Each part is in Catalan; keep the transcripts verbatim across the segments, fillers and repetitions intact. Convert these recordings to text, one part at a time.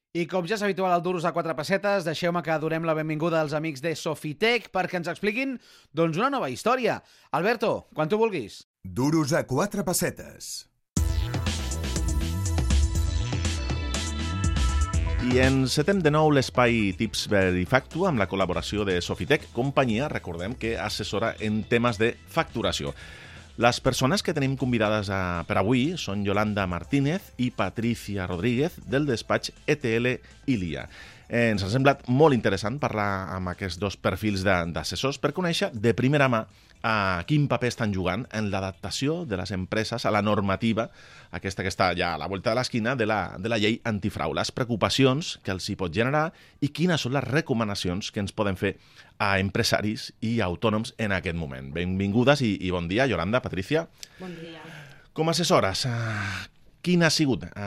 I com ja és habitual al Duros a quatre pessetes, deixeu-me que donem la benvinguda als amics de Sofitec perquè ens expliquin doncs, una nova història. Alberto, quan tu vulguis. Duros a quatre pessetes. I encetem de nou l'espai Tips Verifactu amb la col·laboració de Sofitec, companyia, recordem, que assessora en temes de facturació. Les persones que tenim convidades a, per avui són Yolanda Martínez i Patricia Rodríguez del despatx E T L Ilia. Eh, ens ha semblat molt interessant parlar amb aquests dos perfils d'assessors per conèixer de primera mà a quin paper estan jugant en l'adaptació de les empreses a la normativa, aquesta que està ja a la volta de l'esquina, de, la, de la llei antifrau, les preocupacions que els hi pot generar i quines són les recomanacions que ens poden fer a empresaris i autònoms en aquest moment. Benvingudes i, i bon dia, Yolanda, Patricia. Bon dia. Com a assessores, eh, quin ha sigut eh,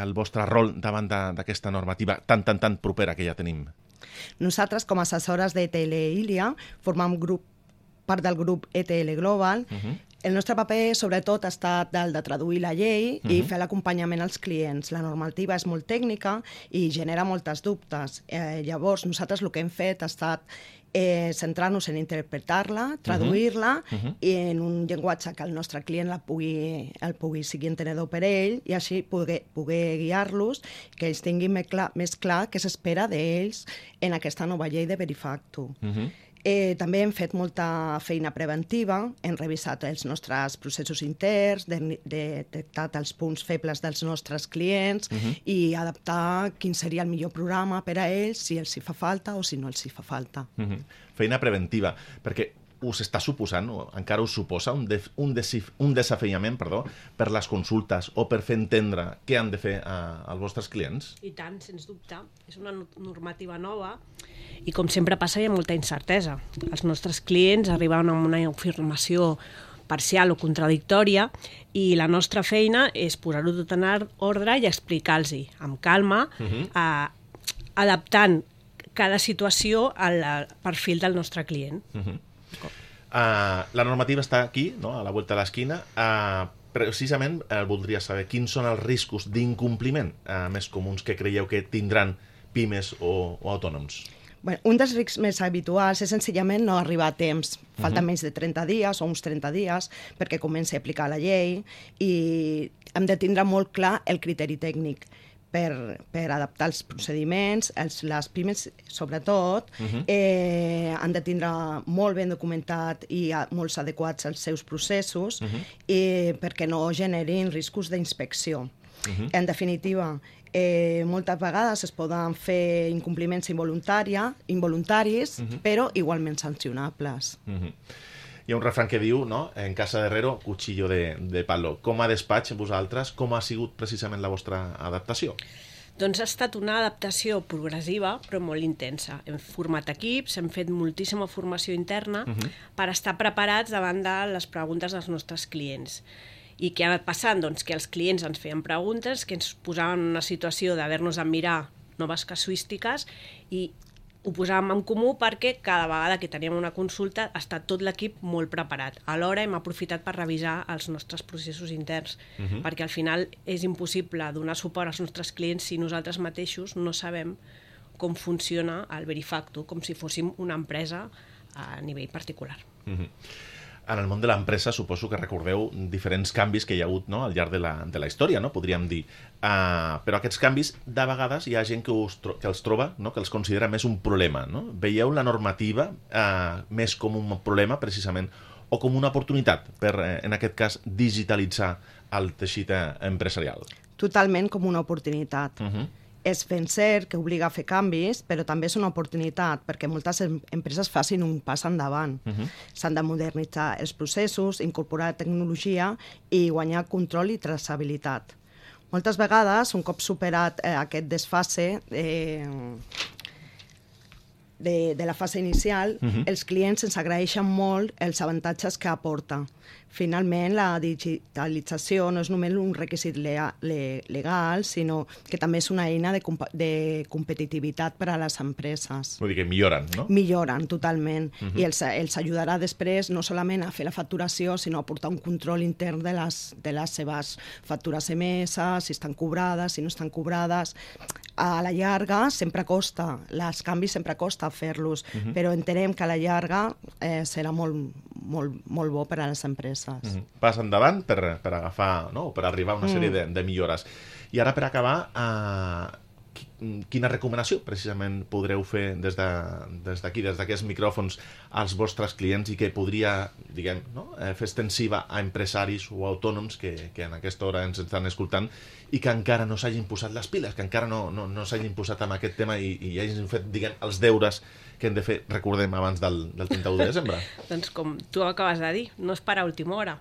el vostre rol davant d'aquesta normativa tan, tan, tan propera que ja tenim? Nosaltres, com a assessores de E T L Ilia, formam grup part del grup E T L Global. Uh-huh. El nostre paper, sobretot, ha estat el de traduir la llei uh-huh. i fer l'acompanyament als clients. La normativa és molt tècnica i genera moltes dubtes. Eh, llavors, nosaltres el que hem fet ha estat eh, centrar-nos en interpretar-la, traduir-la uh-huh. i en un llenguatge que el nostre client la pugui, el pugui sigui entenedor per ell i així poder, poder guiar-los, que ells tinguin més clar, més clar què s'espera d'ells en aquesta nova llei de Verifactu. Uh-huh. Eh, també hem fet molta feina preventiva, hem revisat els nostres processos interns, de, de, detectat els punts febles dels nostres clients uh-huh. i adaptar quin seria el millor programa per a ells, si els hi fa falta o si no els hi fa falta. Uh-huh. Feina preventiva, perquè us està suposant, o encara us suposa, un, de, un, desif, un desafiament perdó, per les consultes o per fer entendre què han de fer a, als vostres clients? I tant, sens dubte. És una normativa nova i, com sempre passa, hi ha molta incertesa. Els nostres clients arriben amb una informació parcial o contradictòria i la nostra feina és posar-ho tot en ordre i explicar-los amb calma, uh-huh. eh, adaptant cada situació al perfil del nostre client. Uh-huh. Uh, la normativa està aquí, no? A la volta de l'esquina. Uh, precisament uh, voldria saber quins són els riscos d'incompliment uh, més comuns que creieu que tindran pimes o, o autònoms. Bueno, un dels riscs més habituals és senzillament no arribar a temps. Falta uh-huh. menys de trenta dies o uns trenta dies perquè comenci a aplicar la llei i hem de tindre molt clar el criteri tècnic per, per adaptar els procediments. Els, les pimes, sobretot, uh-huh. eh, han de tindre molt ben documentat i molt adequats als seus processos uh-huh. i perquè no generin riscos d'inspecció. Uh-huh. En definitiva, Eh, moltes vegades es poden fer incompliments involuntaris, uh-huh. però igualment sancionables. Uh-huh. Hi ha un refrany que diu, no? En casa de herrero, cuchillo de, de palo. Com a despatx, vosaltres, com ha sigut precisament la vostra adaptació? Doncs ha estat una adaptació progressiva, però molt intensa. Hem format equips, hem fet moltíssima formació interna uh-huh. per estar preparats davant de les preguntes dels nostres clients. I què ha anat passant? Doncs que els clients ens feien preguntes, que ens posaven en una situació d'haver-nos de mirar noves casuístiques i ho posàvem en comú perquè cada vegada que teníem una consulta està tot l'equip molt preparat. Alhora hem aprofitat per revisar els nostres processos interns, uh-huh. perquè al final és impossible donar suport als nostres clients si nosaltres mateixos no sabem com funciona el Verifactu, com si fóssim una empresa a nivell particular. Uh-huh. En el món de l'empresa suposo que recordeu diferents canvis que hi ha hagut, no? Al llarg de la, de la història, no? Podríem dir. Uh, però aquests canvis, de vegades, hi ha gent que, us, que els troba, no? Que els considera més un problema. No? Veieu la normativa uh, més com un problema, precisament, o com una oportunitat per, eh, en aquest cas, digitalitzar el teixit empresarial? Totalment com una oportunitat. Uh-huh. És ben cert que obliga a fer canvis, però també és una oportunitat perquè moltes empreses facin un pas endavant. Uh-huh. S'han de modernitzar els processos, incorporar tecnologia i guanyar control i traçabilitat. Moltes vegades, un cop superat eh, aquest desfase eh, de, de la fase inicial, uh-huh. els clients ens agraeixen molt els avantatges que aporta. finalment la digitalització no és només un requisit lea- le- legal, sinó que també és una eina de, comp de competitivitat per a les empreses. Vull dir que milloren, no? Milloren totalment, uh-huh. i els, els ajudarà després no solament a fer la facturació, sinó a portar un control intern de les, de les seves factures emeses, si estan cobrades, si no estan cobrades. A la llarga sempre costa, els canvis sempre costa fer-los, uh-huh. però entenem que a la llarga eh, serà molt, molt, molt bo per a les empreses. Uh-huh. Pas endavant per, per agafar, no? Per arribar a una sèrie mm. de, de millores. I ara, per acabar, eh, quina recomanació precisament podreu fer des d'aquí, de, des des d'aquests micròfons als vostres clients i que podria, diguem, no? eh, fer extensiva a empresaris o autònoms que, que en aquesta hora ens estan escoltant i que encara no s'hagin posat les piles, que encara no, no, no s'hagin posat amb aquest tema i, i hagin fet, diguem, els deures que hem de fer, recordem, abans del, del trenta-u de desembre. Doncs com tu acabes de dir, no és per a última hora.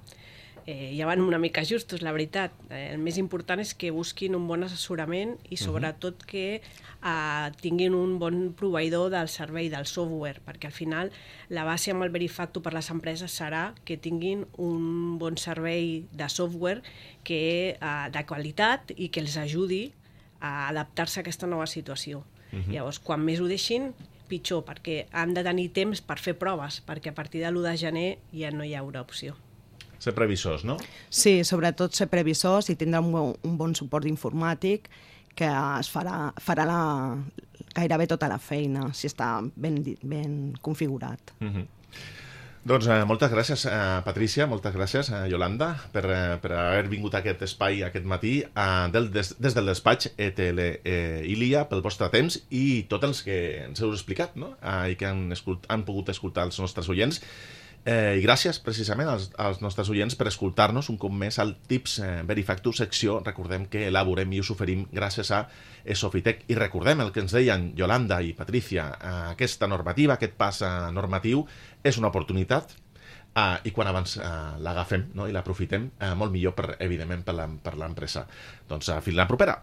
Eh, ja van una mica justos, la veritat. Eh, el més important és que busquin un bon assessorament i sobretot que eh, tinguin un bon proveïdor del servei, del software, perquè al final la base amb el Verifactu per les empreses serà que tinguin un bon servei de software que, eh, de qualitat i que els ajudi a adaptar-se a aquesta nova situació. Uh-huh. Llavors, quan més ho deixin, pitjor, perquè han de tenir temps per fer proves, perquè a partir de l'u de gener ja no hi haurà opció. Ser previsors, no? Sí, sobretot ser previsors i tindre un bon, un bon suport informàtic que es farà, farà la, gairebé tota la feina, si està ben, ben configurat. Uh-huh. Doncs eh, moltes gràcies, eh, Patrícia, moltes gràcies, eh, Yolanda, per, eh, per haver vingut a aquest espai aquest matí eh, del, des, des del despatx E T L eh, Ilia, pel vostre temps i tots els que ens heu explicat, no? eh, i que han, escult, han pogut escoltar els nostres oients. Eh, I gràcies, precisament, als, als nostres oients per escoltar-nos un cop més al Tips eh, Verifactu, secció, recordem que elaborem i us oferim gràcies a Sofitec. I recordem el que ens deien Yolanda i Patrícia, eh, aquesta normativa, aquest pas eh, normatiu, és una oportunitat eh, i quan abans eh, l'agafem, no? I l'aprofitem, eh, molt millor, per, evidentment, per l'empresa. Doncs eh, fins la propera.